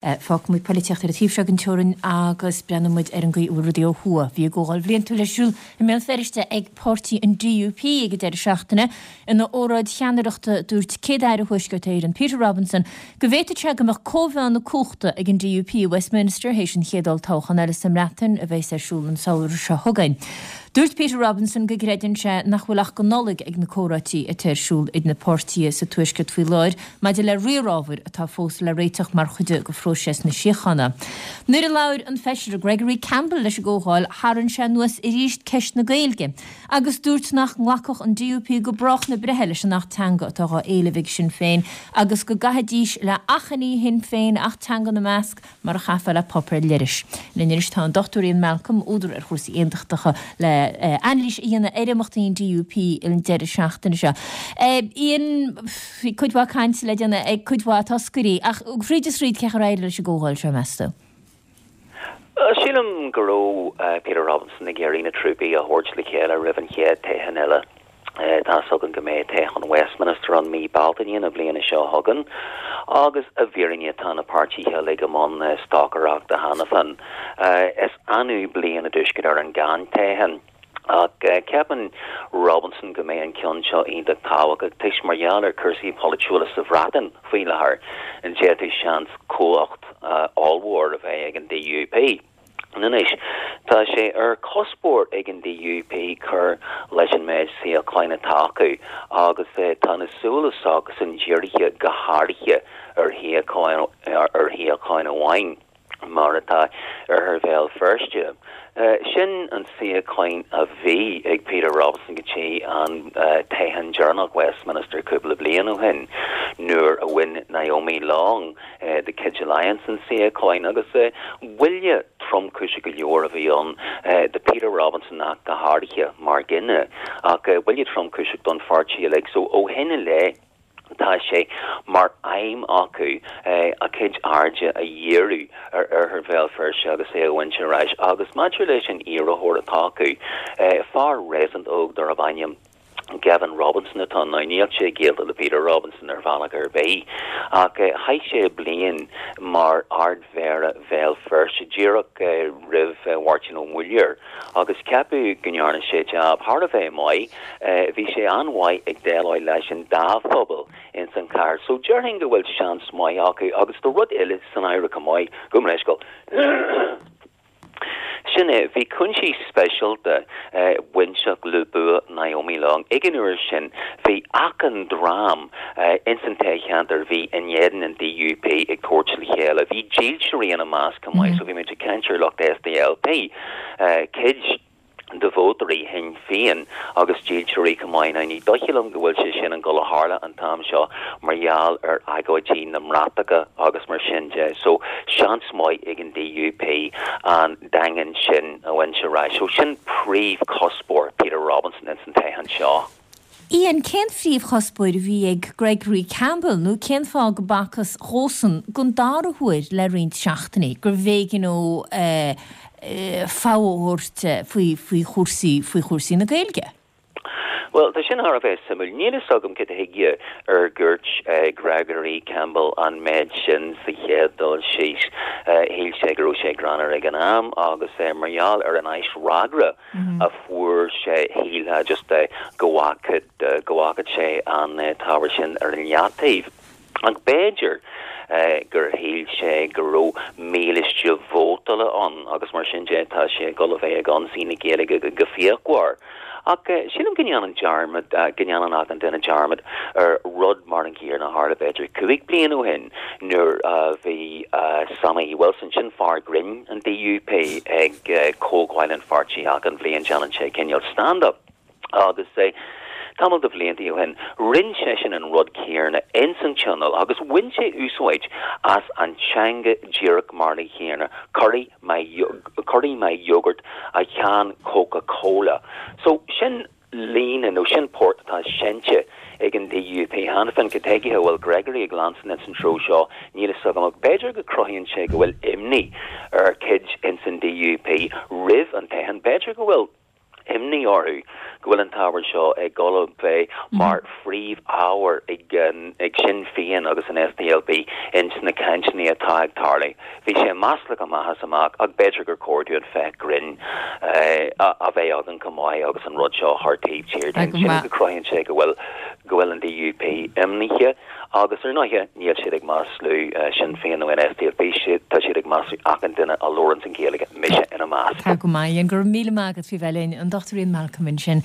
Fágfaidh muid poilitíocht ar an taobh seo den teorainn agus breathnóidh muid ar an gcaoi a bhfuil rudaí ó thuaidh. Bhí a gcomhdháil bhliantúil ar siúl i mBéal Feirste ag páirtí an DUP ag an deireadh seachtaine. Ina óráid cheannaireachta dúirt Céad-Aire Thuaisceart Éireann, Peter Robinson, go bhféadfadh sé go mbeadh cóimheá na cumhachta ag an DUP i Westminster théis an chéad olltoghchán eile sa mBreatain a bheas ar siúl an samhradh seo chugainn. Dúirt Peter Robinson go gcreideann sé nach bhfuil ach go Nollaig ag na comhráití atá ar siúl idir na páirtithe sa Tuaisceart faoi láthair maidir le riar ábhair atá fós le réiteach mar chuid de phróiseas na síochána. Nuair a labhair an Feisire Gregory Campbell leis an gcomhdháil tharraing sé anuas arís ceist na Gaeilge agus dúirt nach nglacfadh an DUP go brách na breithe leis an Acht Teanga atá dhá éileamh ag Sinn Féin agus go gcaithfidís le achainí Shinn Féin, Acht Teanga ina measc, mar a chaithfeá le páipéar leithris. Linn anois tá an Dr Ian Malcolm, údar ar chúrsaí aontachtacha, le anailís a dhéanamh ar imeachtaí an DUP an deireadh seachtaine seo. Ian, bhí cuid mhaith cainte le déanamh ag cuid mhaith toscairí, ach thríd is thríd cén chaoi ar éirigh leis an gcomhdháil seo, meas tú? Sílim go raibh Peter Robinson ag iarraidh na trúpaí a thabhairt le chéile roimh an chéad toghchán eile. Tá's againn go mbeidh toghchán Westminster ann mí Bealtaine na bliana seo chugainn agus i bhfírinne tá na páirtithe uilig i mbun stocaireachta cheana féin. Is annamh bliain i dTuaisceart Éireann gan toghchán ach ceapann Robinson go mbeidh an ceann seo iontach tábhachtach toisc mar gheall ar chúrsaí polaitiúla sa Bhreatain faoi láthair d'fhéadfadh seans cumhacht ollmhór a bheith ag an DUP. Anois, tá sé ar chuspóir ag an DUP cur leis an méid suíocháin atá acu agus tá na súile s'acusan dírithe go háirithe ar shuíochán ar shuíochán amháin, mar atá Oirthear Bhéal Feirste. Sin an suíochán a bhí ag Peter Robinson go dtí an toghchán deireanach Westminster cúpla bliain ó shin nuair a bhain Naomi Long de chuid Alliance an suíochán agus buille tromchúiseach go leor a bhí ann do Peter Robinson ach go háirithe mar dhuine ach buille tromchúiseach don pháirtí uilig so ó shin i leith tá sé mar aidhm acu a gcuid airde a dhíriú ar oirthear Bhéal Feirste agus é a bhaint ar ais agus maidir leis an iarrthóir atá acu, fear réasúnta óg darb ainm Gavin Robinson atá ann. Níl sé gaolta le Peter Robinson ar bhealach ar bith, ach chaith sé bliain mar Ard-Mhéara Bhéal Feirste díreach roimh Mháirtín Ó Muilleoir agus ceapadh go ndearna sé jab thar a bheith maith. Bhí sé an-mhaith ag déileáil leis an dá phobal ins an chathair. So déarfainn go bhfuil seans maith acu agus tá rud eile san áireamh chomh maith, gabh mo leithscéal. Sin é, bhí cúinsí speisialta bainteach le bua Naomi Long. Ag an uair sin, bhí achan dream ins an toghcheantar a bhí in éadan an DUP ag tabhairt le chéile. Bhí dílseoirí ina measc chomh maith, so bhí muid ag caint ar lucht SDLP, cuid de vótóirí Shinn Féin agus dílseoirí chomh maith. Now ní dóiche liom go bhfuil sé sin ag gabháil a tharla an t-am seo mar gheall ar agóidí na mbratacha agus mar sin de. So seans maith ag an DUP an daingean sin a bhaint ar ais. So sin príomhchuspóir Peter Robinson ins an toghchán seo. Ian, cén phríomhchuspóir a bhí ag Gregory Campbell nó cén fáth go b'fhacthas dhósan don dara huair le roinnt seachtainí gurbh éigean dó fogha a thabhairt faoi chúrsaí faoi chúrsaí na Gaeilge? Bhuel, tá sin thar a bheith suimiúil. Níl fhios agam cad chuige ar dhúirt Gregory Campbell an méid sin sa chéad dul síos. Shíl sé go raibh sé greannmhar ag an am agus mar gheall ar an aisfhreagra a fuair sé, shílfeá just go bhfágfadh go bhfágfadh sé an t-ábhar sin ar an leataobh. Ach b'fhéidir gur shíl sé go raibh mílíste vótála ann agus mar sin de tá sé ag dul a bheith ag ionsaí na Gaeilge go fíochmhar. Ach sílim go ndéanann dearmad, go ndéanann achan duine dearmad ar rud mar an gcéanna a tharla b'fhéidir 5 bliain ó shin nuair a bhí Sammy Wilson, sin fear grinn an DUP, ag comhdháil an pháirtí achan bhliain déanann sé cineál stand-up. Agus tamall de bhlianta ó shin, rinne seisean an rud céanna ins an tionól agus bhain sé úsáid as an teanga díreach mar an chéanna, cuirfidh mé, cuirfidh mé iógart i can Coca Cola. So, sin líne nó sin port atá seinnte ag an DUP cheana féin. Cad chuige a bhfuil Gregory ag leanstan ins an treo seo, níl fhios agam ach b'fhéidir go cruthaíonn sé go bhfuil imní ar chuid ins an DUP roimh an toghchán. B'fhéidir go bhfuil. imní orthu go bhfuil an t-ábhar seo ag dul a bheith mar phríomh-ábhar ag Sinn Féin agus an SDLP ins na cainteanna atá ag tarlú. Bhí sé maslach amach is amach ach b'fhéidir gur chóir dúinn féachaint grinn a bheith againn chomh maith agus an rud seo a chur taobh thiar dínn. Sílim go cruthaíonn sé go bhfuil go bhfuil an DUP imníoch agus ar ndóighe níl siad ag maslú Sinn Féin nó an SDLP, tá siad ag maslú achan duine a labhranns an Ghaeilge, mise ina measc. Tá go maith, Ian. Go raibh míle maith agat faoi bheith linn. An Dr Ian Malcolm ansin.